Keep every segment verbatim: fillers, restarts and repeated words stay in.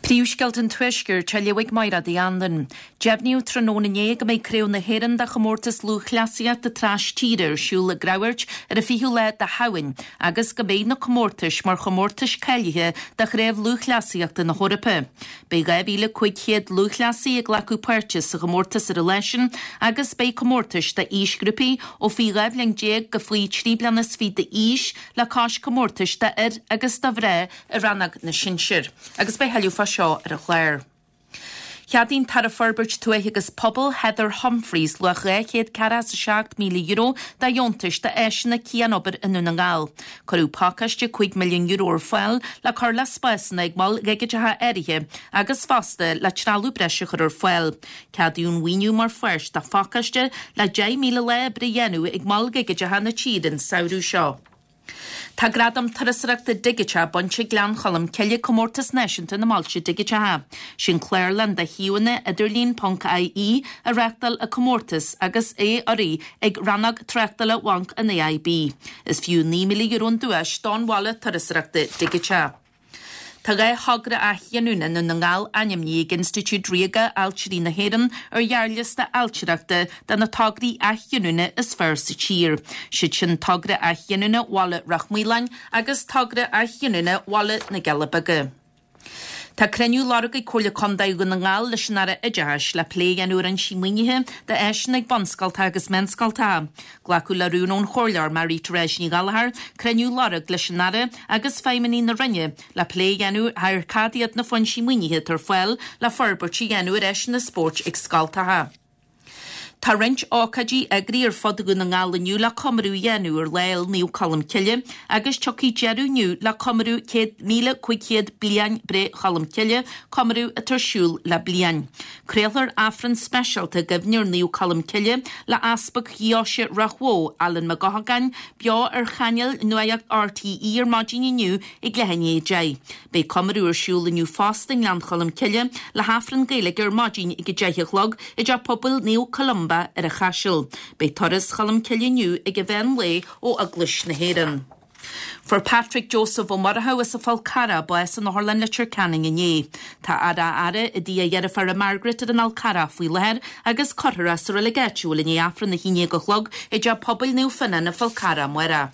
Príomhscéalta an Tuaiscirt á léamh ag Máire Andan. Deimhníodh tráthnóna inné go mbeidh Craobh na hÉireann de chomórtas lúthchleasaíochta tras-tíre ar siúl i gCreamhairt ar an fichiú lá de Shamhain, agus go mbeidh na comórtais mar chomórtais cáilithe do Chraobh Lúthchleasaíochta na hEorpa. Beidh dhá mhíle cúig chéad lúthchleasaí ag glacadh páirte sa chomórtas ar an lá sin agus beidh comórtais d'aoisghrúpaí ó faoi dhá bhliain déag go faoi trí bliana is fiche d'aois le cois comórtais d'fhir agus do mhná i rannóg na sinsear. Agus beidh thuilleadh fá seo ar an chlár. Cheadaigh an tAire Forbairt Tuaithe agus Pobail Heather Humphreys luach dhá chéad ceathracha is a seacht míle euro de dheontais d'áiseanna cianobair i nDún na nGall. Cuireadh pacáiste cúig milliún euro ar fáil le cur le spásanna ag moil dhigiteacha áirithe agus fosta le trealamh breise a chur ar fáil. Ceadaíodh an maoiniú mar pháirt de phacáiste le deich míle lá oibre a dhéanamh ag moil dhigiteacha na tíre an samhradh seo. Tá gradam turasóireachta digiteach bainte ag Gleann Cholm Cille Comórtas Náisiúnta na mBailte Digiteacha. Sin Clárlann de shuíomhanna idirlín ponc IE a reáchtáil an comórtas agus é urraithe ag rannóg tráchtála Bhanc an AIB. Is fiú naoi míle euro an duais don bhaile turasóireachta digiteach. Tá dhá thogra athghiniúna i nDún na nGall ainmnithe ag Institiúid Ríoga Ailtirí na hÉireann ar ghearrliosta ailtireachta de na tograí athghiniúna is fearr sa tír. Siad sin togra athghiniúna Bhaile Ráth Maoláin agus togra athghiniúna Bhaile na gCealla Beaga. Tá cruinniú lorgtha ag Comhairle Contae Dhún na nGall leis an Aire Oideachais le plé a dhéanamh ar fhoinsí maoinithe d'áiseanna ag bunscoltacha agus meánscoltacha. Glacadh le rún ón Chomhairleoir Marie Therese Ní Ghallchóir cruinniú a lorg leis an Aire agus feidhmeannaigh na Roinne le plé a dhéanamh ar cad iad na foinsí maoinithe atá ar fáil le forbairt a dhéanamh ar áiseanna spóirt ag scoltacha. Tá roinnt ócáidí eagraithe ar fud Dhún na nGall inniu le comóradh a dhéanamh ar Lá Fhéile Naomh Colm Cille agus tiocfaidh deireadh inniu le comóradh céad míle cúig chéad bliain breith Cholm Cille, comóradh atá ar siúl le bliain. Craolfar Aifreann speisialta i gcuimhne ar Naomh Colm Cille le Easpag Dheoise Ráth Bhoth, Alan Mac Eochagáin, beo ar chainéal Nuacht RTÉ ar maidin inniu ag leath i ndiaidh a deich. Beidh comóradh ar siúl inniu fosta i nGleann Cholm Cille le hAifreann Gaeilge ar maidin ag a deich a chlog i dteach pobail Naomh Columba ar an Chaiseal. Beidh turas Cholm Cille inniu ag an mheán lae ó Eaglais na hÉireann. Fuair Patrick Joseph Ó Murchú as an Fhál Carrach bás in Otharlann Leitir Ceanainn inné. Tá a fhaire i dtigh a dheirféara Margaret ar an Fhál Carrach faoi láthair agus cuirfear é sa reilig áitiúil i ndiaidh Aifreann a haon déag a chlog i dteach pobail Naomh Fionán an Fhál Carrach amárach.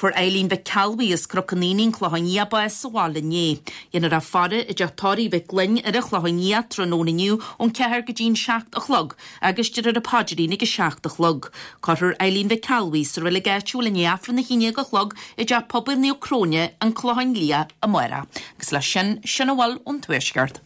Fuair Eileen Mhic Cealbhaigh as Cnoc an Aonaigh, an Clochán Liath bás sa bhaile inné. Dhéanfar í a faire i dteach tórraimh Mhic Gloinn ar an Chlochán Liath tráthnóna inniu ón ceathair go dtí an seacht a chlog agus déarfar an paidrín ag a seacht a chlog. Cuirfear Eileen Mhic Cealbhaigh sa reilig áitiúil i ndiaidh Aifreann a haon déag a chlog i dteach pobail Naomh Cróine, an Clochán Liath amárach. Agus leis sin, sin a bhfuil ón Tuaisceart.